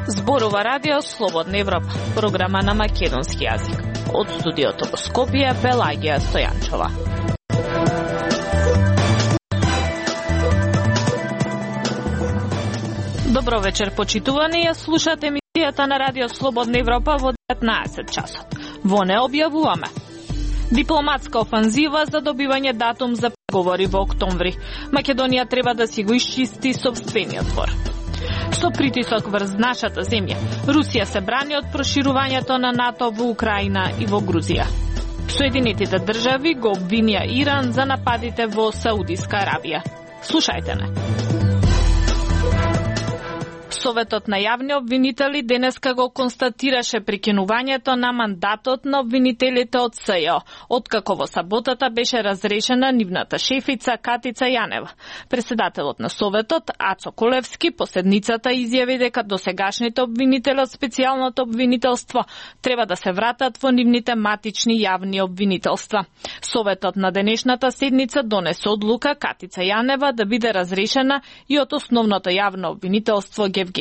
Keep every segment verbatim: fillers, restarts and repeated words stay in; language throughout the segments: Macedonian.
Зборува Радио Слободна Европа, програма на македонски јазик. Од студиото во Скопје, Пелагија Стојанчова. Добро вечер, почитувани, ја слушате емисијата на Радио Слободна Европа во деветнаесет часот. Во не објавуваме дипломатска офанзива за добивање датум за преговори во октомври. Македонија треба да си го исчисти сопствениот двор. Со притисок врз нашата земја, Русија се брани од проширувањето на НАТО во Украина и во Грузија. Соединетите држави го обвинија Иран за нападите во Саудиска Арабија. Слушајте не. Советот на јавни обвинители денеска го констатираше прекинувањето на мандатот на обвинителите од СЈО, откако во саботата беше разрешена нивната шефица Катица Јанева. Председателот на Советот, Ацо Колевски, по седницата изјави дека досегашните обвинители од специјалното обвинителство треба да се вратат во нивните матични јавни обвинителства. Советот на денешната седница донесе одлука Катица Јанева да биде разрешена и од основното јавно обвинителство Гевгелија.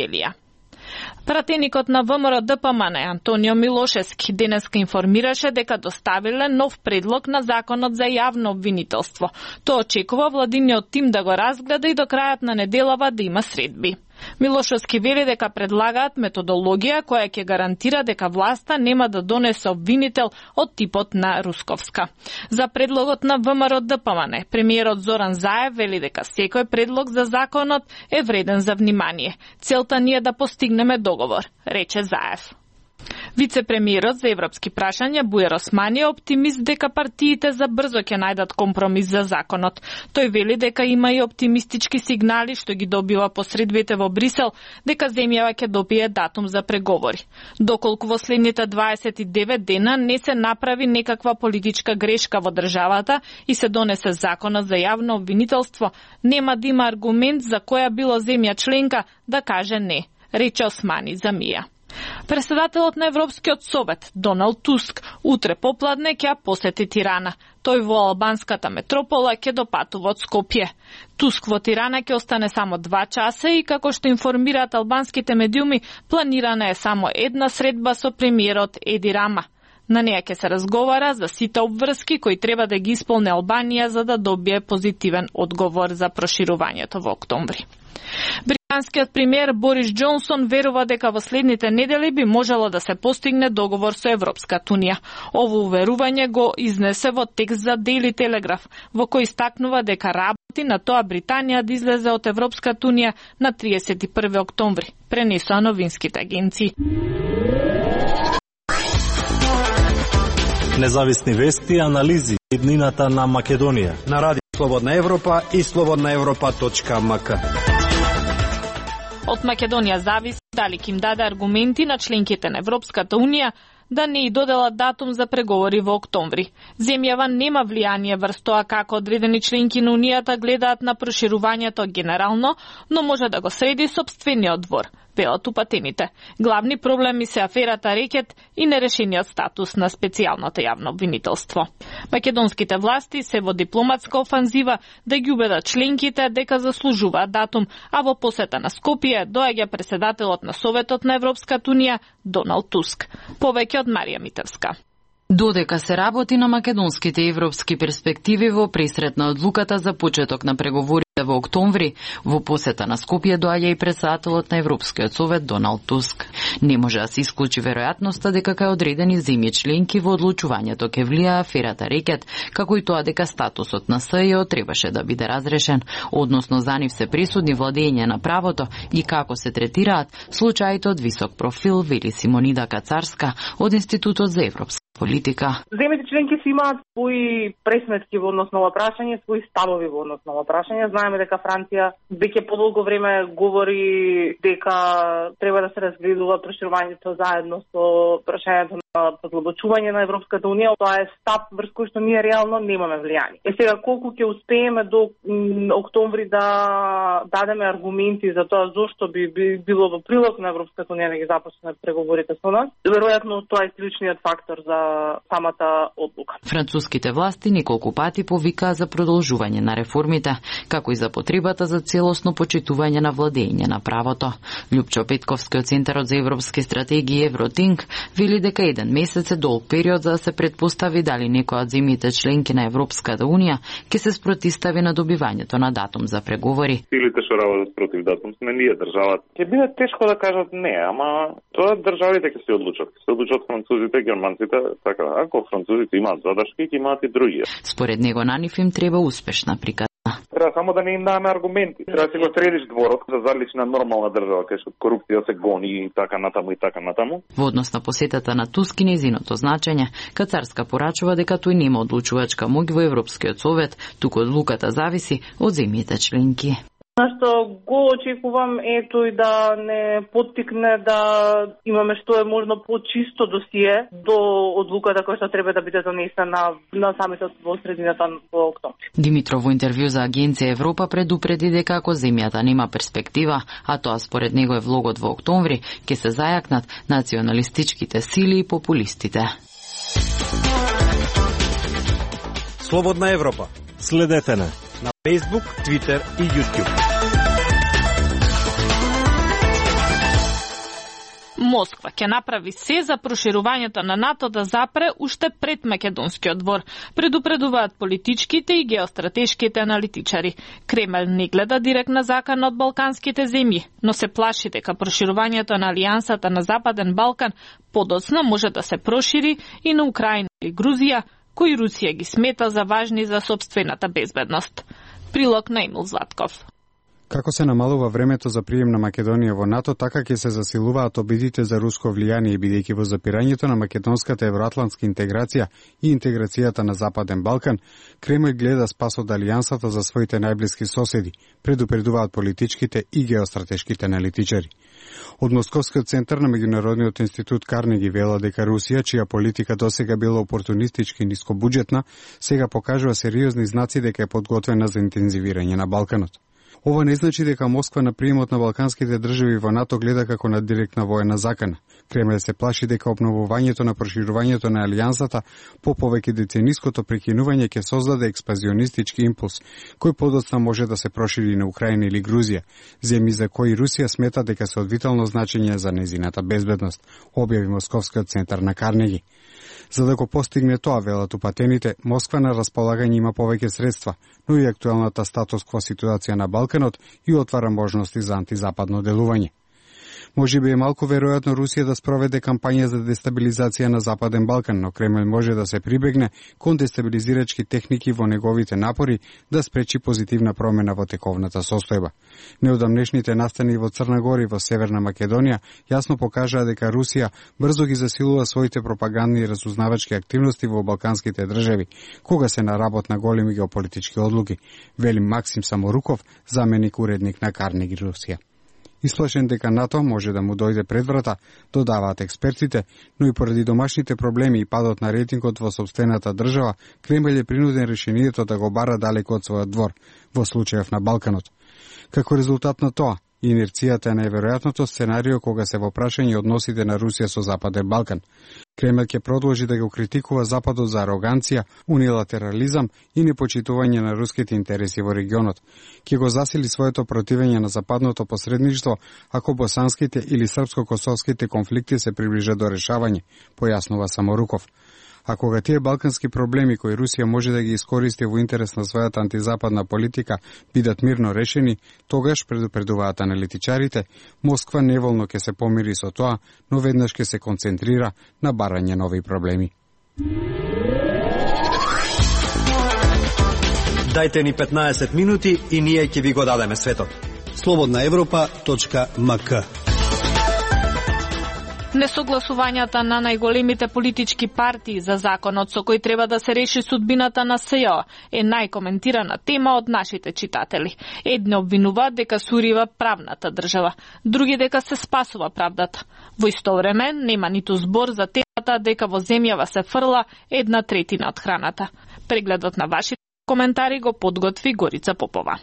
Пратеникот на ВМРО Д П М Н Антонио Милошевски денеска информираше дека доставиле нов предлог на законот за јавно обвинителство. Тоа очекува владиниот тим да го разгледа и до крајот на неделава да има средби. Милошевски вели дека предлагаат методологија која ќе гарантира дека власта нема да донесе обвинител од типот на Русковска. За предлогот на ВМРО Д П М Н, премиерот Зоран Заев вели дека секој предлог за законот е вреден за внимание. Целта ни е да постигнеме договор, рече Заев. Вице-премиерот за европски прашања Бујар Османи е оптимист дека партиите за брзо ќе најдат компромис за законот. Тој вели дека има и оптимистички сигнали што ги добива посредбите во Брисел дека земјава ќе добие датум за преговори. Доколку во следните дваесет и девет дена не се направи некаква политичка грешка во државата и се донесе законот за јавно обвинителство, нема да има аргумент за која било земја членка да каже не, рече Османи за Мија. Председателот на Европскиот совет, Доналд Туск, утре попладне ќе посети Тирана. Тој во албанската метропола ќе допатува од Скопје. Туск во Тирана ќе остане само два часа и, како што информираат албанските медиуми, планирана е само една средба со премиерот Еди Рама. На неја ќе се разговара за сите обврски кои треба да ги исполни Албанија за да добие позитивен одговор за проширувањето во октомври. Британскиот премиер Борис Џонсон верува дека во следните недели би можело да се постигне договор со Европската унија. Ово уверување го изнесе во текст за Daily Telegraph, во кој истакнува дека работи на тоа Британија да излезе од Европската унија на триесет и први октомври, пренесоа новинските агенции. Независни вести и анализи иднината на Македонија на Радио Слободна Европа и слободна европа точка м к. Од Македонија зависи дали ќе им даде аргументи на членките на Европската унија да не и доделат датум за преговори во октомври. Земјава нема влијание врз тоа како одредени членки на Унијата гледаат на проширувањето генерално, но може да го среди сопствениот двор, велат упатените. Главни проблеми се аферата Рекет и нерешениот статус на специјалното јавно обвинителство. Македонските власти се во дипломатска офанзива да ги убедат членките дека заслужуваат датум, а во посета на Скопје доаѓа председателот на Советот на Европската унија Доналд Туск. Повеќе од Марија Митевска. Додека се работи на македонските и европски перспективи во пресрет на одлуката за почеток на преговорите во октомври, во посета на Скопје доаѓа и председателот на Европскиот совет Доналд Туск. Не може да се исклучи веројатноста дека кај одредени земји членки во одлучувањето ќе влија аферата Рекет, како и тоа дека статусот на СЈО требаше да биде разрешен, односно за нив се присудни владење на правото и како се третираат случаите од висок профил, вели Симонида Кацарска од Институтот за европска политика. Земјите членки си имаат своји пресметки во однос на ова прашање, своји ставови во однос на ова прашање. Знаеме дека Франција веќе подолго време говори дека треба да се разгледува проширувањето заедно со прашањето на подлабочување на Европската унија. Тоа е став врз кој што ние реално немаме влијание. Е сега колку ќе успееме до октомври да дадеме аргументи за тоа зошто би, би било во прилог на Европската унија да ги започне преговорите со нас, веројатно тоа е клучниот фактор за самата одлука. Француските власти неколку пати повикаа за продолжување на реформите, како и за потребата за целосно почитување на владење на правото. Лјупчо Петковски од Центарот за европски стратегии Евротинк вели дека еден месец е долг период за да се предпостави дали некоја од земјите членки на Европската унија ќе се спротистави на добивањето на датум за преговори. Силите што работат против датум сме ние, државата. Ќе биде тешко да кажат не, ама тоа државите ќе се одлучат. Се одлучат французите, германците, така. Ако французите имаат задршки, ќе имаат и други. Според него на нив им треба успешна приказна. Треба само да не им даваме аргументи. Треба да се го средиш дворот за залична нормална држава, кај што корупција се гони и така натаму и така натаму. Во однос на посетата на Туск и нејзиното значење, Кацарска порачува дека тој нема одлучувачка моќ во Европскиот совет, туку одлуката зависи од земјите членки. Нашто го очекувам е тој да не поттикне да имаме што е можно почисто досие до одлуката која што треба да биде донесена на самитот во средината во октомври. Димитров во интервју за Агенција Европа предупреди дека ако земјата нема перспектива, а тоа според него е влогот во октомври, ќе се зајакнат националистичките сили и популистите. Слободна Европа. Следете на на Facebook, Twitter и YouTube. Москва ќе направи се за проширувањето на НАТО да запре уште пред македонскиот двор, предупредуваат политичките и геостратешките аналитичари. Кремљ не гледа директна закана од балканските земји, но се плаши дека проширувањето на алијансата на Западен Балкан подоцна може да се прошири и на Украина или Грузија, кои Русија ги смета за важни за сопствената безбедност. Прилог на Емил Златков. Како се намалува времето за прием на Македонија во НАТО, така ќе се засилуваат обидите за руско влијание, бидејќи во запирањето на македонската евроатлантска интеграција и интеграцијата на Западен Балкан, Кремљ гледа спас од алијансата за своите најблиски соседи, предупредуваат политичките и геостратешките аналитичари. Од Московскиот центар на Меѓународниот институт Карнеги вела дека Русија, чија политика досега била опортунистички и нискобуџетна, сега покажува сериозни знаци дека е подготвена за интензивирање на Балканот. Ова не значи дека Москва на приемот на балканските држави во НАТО гледа како на директна воена закана. Кремљ се плаши дека обновувањето на проширувањето на алијансата по повеќе децениското прекинување ќе создаде експазионистички импулс, кој подоцна може да се прошири на Украина или Грузија, земји за кои Русија смета дека се од витално значење за незината безбедност, објави Московскиот центар на Карнеги. За да го постигне тоа, велат упатените, Москва на располагање има повеќе средства, но и актуелната статус-кво ситуација на Балканот и отвара можности за антизападно делување. Може би е малку веројатно Русија да спроведе кампања за дестабилизација на Западен Балкан, но Кремљ може да се прибегне кон дестабилизирачки техники во неговите напори да спречи позитивна промена во тековната состојба. Неодамнешните настани во Црна Гора и во Северна Македонија јасно покажаа дека Русија брзо ги засилува своите пропагандни и разузнавачки активности во балканските држави, кога се на работ на големи геополитички одлуки, вели Максим Саморуков, заменик уредник на Карнеги Русија. Исплашен дека НАТО може да му дојде пред врата, додаваат експертите, но и поради домашните проблеми и падот на рейтингот во сопствената држава, Кремљ е принуден решението да го бара далеко од својот двор, во случајов на Балканот. Како резултат на тоа, инерцијата е најверојатното сценарио кога се во прашање односите на Русија со Западен Балкан. Кремљ ќе продолжи да го критикува Западот за ароганција, унилатерализам и непочитување на руските интереси во регионот. Ќе го засили своето противење на западното посредништво ако босанските или српско-косовските конфликти се приближат до решавање, појаснува Саморуков. А кога тие балкански проблеми кои Русија може да ги искористи во интерес на својата антизападна политика бидат мирно решени, тогаш, предупредуваат аналитичарите, Москва неволно ќе се помири со тоа, но веднаш ќе се концентрира на барање нови проблеми. Дајте ни петнаесет минути и ние ќе ви го дадеме светот. слободна европа точка ем ка. Несогласувањата на најголемите политички партии за законот со кој треба да се реши судбината на СЈО е најкоментирана тема од нашите читатели. Едни обвинуваат дека сурива правната држава, други дека се спасува правдата. Во исто време нема ниту збор за темата дека во земјава се фрла една третина од храната. Прегледот на вашите коментари го подготви Горица Попова.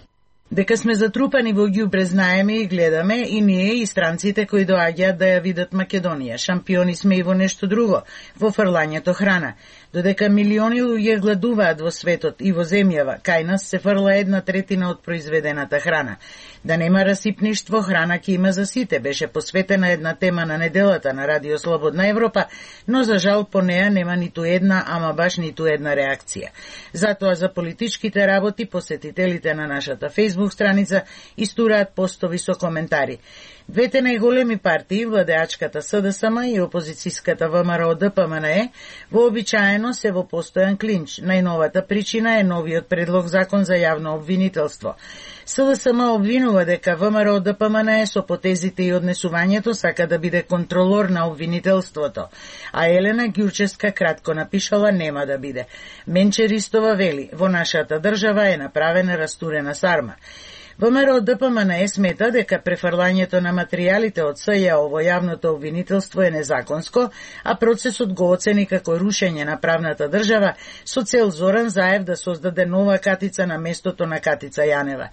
Дека сме затрупани во ѓубре знаеме и гледаме и ние и странците кои доаѓаат да ја видат Македонија. Шампиони сме и во нешто друго, во фрлањето храна. Додека милиони луѓе гладуваат во светот и во земјава, кај нас се фрла една третина од произведената храна. Да нема расипништво, храна ќе има за сите, беше посветена една тема на неделата на Радио Слободна Европа, но за жал по неа нема ниту една, ама баш ниту една реакција. Затоа за политичките работи посетителите на нашата Facebook страница истураат постови со коментари. Двете најголеми партии, владеачката СДСМ и опозицијската ВМРО ДПМНЕ, вообичаено се во постојан клинч. Најновата причина е новиот предлог закон за јавно обвинителство. СДСМ обвинува дека ВМРО ДПМНЕ со потезите и однесувањето сака да биде контролор на обвинителството, а Елена Ѓурчевска кратко напишала нема да биде. Менче Ристова вели, во нашата држава е направена растурена сарма. ВМРО ДПМНЕ смета дека префрлањето на материјалите од СЈО во јавното обвинителство е незаконско, а процесот го оцени како рушење на правната држава со цел Зоран Заев да создаде нова катица на местото на Катица Јанева.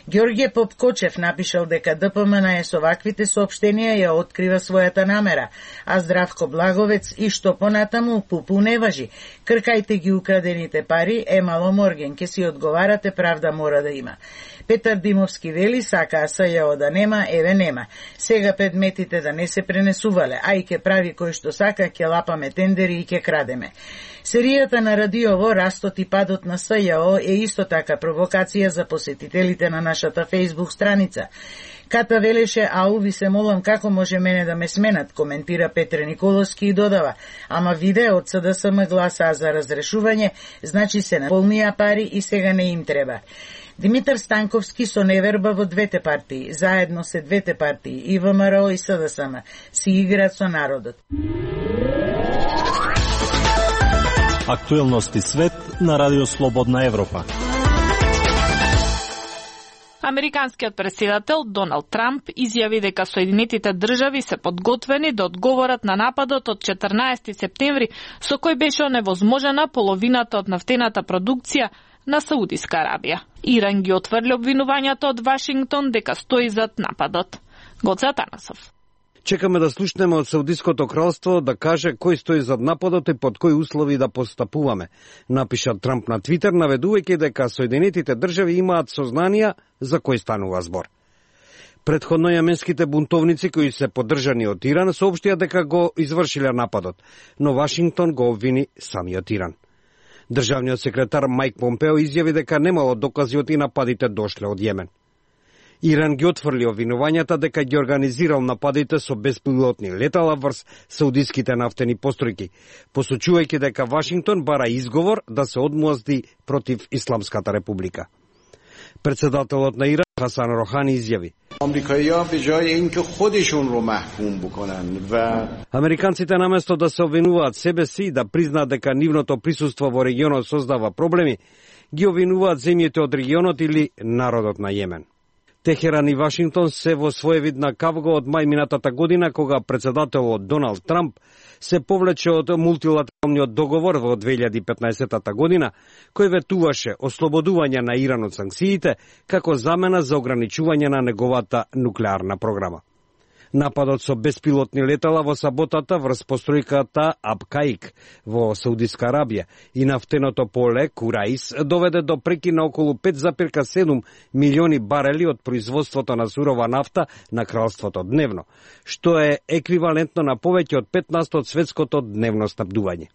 Ѓорѓе Попкочев напишал дека ДПМНЕ со ваквите соопштенија ја открива својата намера, а Здравко Благовец и што понатаму пупу не важи. Кркајте ги украдените пари, е мало морген, ке си одговарате, правда мора да има. Петар Димовски вели, сакаа СЈО да нема, еве нема. Сега предметите да не се пренесувале, а и ке прави кој што сака, ке лапаме тендери и ке крадеме. Серијата на Радиово, растот и падот на СЈО е исто така провокација за посетителите на нашата Facebook страница. Ката велеше, ау, ви се молам, како може мене да ме сменат, коментира Петре Николовски и додава, ама виде од СДСМ гласаа за разрешување, значи се наполнија пари и сега не им треба. Димитар Станковски со неверба во двете партии, заедно се двете партии, и ВМРО и СДСМ, си играат со народот. Актуелности свет на Радио Слободна Европа. Американскиот претседател Доналд Трамп изјави дека Соединетите држави се подготвени да одговорат на нападот од четрнаесети септември, со кој беше оневозможена половината од нафтената продукција на Саудиска Арабија. Иран ги отврли обвинувањата од Вашингтон дека стои зад нападот. Гоце Атанасов. Чекаме да слушнеме од Саудиското кралство да каже кој стои зад нападот и под кои услови да постапуваме, напиша Трамп на Твитер, наведувајќи дека Соединетите држави имаат сознанија за кој станува збор. Предходно јеменските бунтовници кои се поддржани од Иран соопштија дека го извршиле нападот, но Вашингтон го обвини самиот Иран. Државниот секретар Мајк Помпео изјави дека немало докази од и нападите дошле од Јемен. Иран ги отфрли обвинувањата дека ги организирал нападите со беспилотни летала врз саудиските нафтени постројки, посочувајќи дека Вашингтон бара изговор да се одмозди против Исламската република. Председателот на Иран Хасан Рохани изјави: Американците наместо да се обвинуваат себе си и да признаат дека нивното присуство во регионот создава проблеми, ги обвинуваат земјите од регионот или народот на Јемен. Техеран и Вашингтон се во своевидна кавга од мај минатата година, кога председателот Доналд Трамп се повлече од мултилатералниот договор во две илјади и петнаесетата година, кој ветуваше ослободување на Иран од санкциите како замена за ограничување на неговата нуклеарна програма. Нападот со беспилотни летала во саботата врз постројката Абкаик во Саудиска Арабија и нафтеното поле Кураис доведе до прекин на околу пет запирка седум милиони барели од производството на сурова нафта на кралството дневно, што е еквивалентно на повеќе од петнаесет од светското дневно снабдување.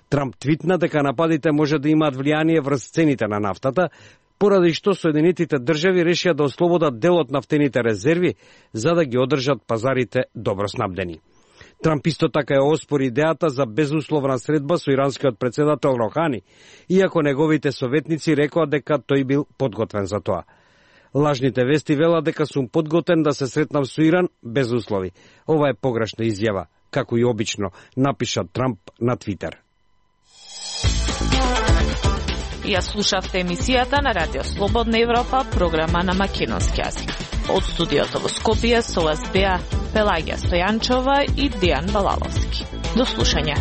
Трамп твитна дека нападите може да имаат влијание врз цените на нафтата, поради што Соединетите држави решија да ослободат дел од нафтените резерви за да ги одржат пазарите добро снабдени. Трамп исто така е оспори идејата за безусловна средба со иранскиот претседател Рохани, иако неговите советници рекоа дека тој бил подготвен за тоа. Лажните вести велат дека сум подготвен да се сретнам со Иран без услови. Ова е погрешна изјава, како и обично, напиша Трамп на Твитер. Ја слушавте емисијата на Радио Слободна Европа, програма на македонски јазик. Од студиото во Скопје со вас беа Пелагија Стојанчова и Дејан Балаловски. До слушање.